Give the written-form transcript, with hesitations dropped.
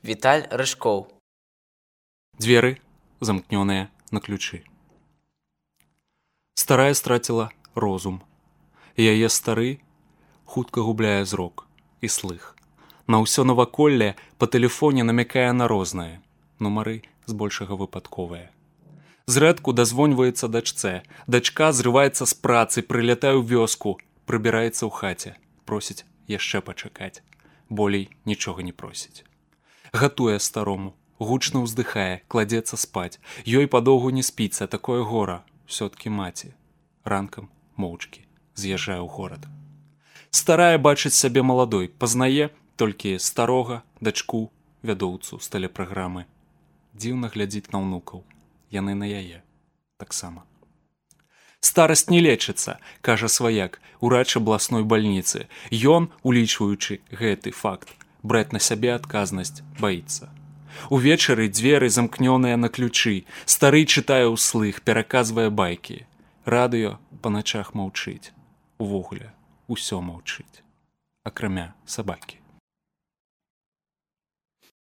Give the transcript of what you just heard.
Віталь Рыжкоў. Дзверы замкнёныя на ключы. Старая страціла розум. Яе стары хутка губляе зрок і слых. На ўсё наваколле па тэлефоне намякае на рознае. Нумары збольшага выпадковыя. Зрэдку дазвоньваецца дачцэ. Дачка зрываецца з працы, прылятае ў вёску, прыбіраецца ў хаце, просіць яшчэ пачакаць. Болей нічога не просіць. Гатуе старому, гучна ўздыхае, кладзецца спаць. Ёй падоўгу не спіцца, такое гора, ўсё-ткі маці. Ранкам, моўчкі, з'язджае ў горад. Старая бачыць сябе маладой, пазнае толькі старога, дачку, вядоўцу з тэлепраграмы. Дзіўна глядзіць на ўнукаў. Яны на яе таксама. Старасць не лечыцца, кажа сваяк, урач абласной бальніцы. Ён, улічваючы гэты факт, браць на сябе адказнасць баіцца. Увечары дзверы замкнёныя на ключы. Стары чытае ўслых, пераказвае байкі. Радыё па начах маўчыць. Увогуле, усё маўчыць. Акрамя сабакі.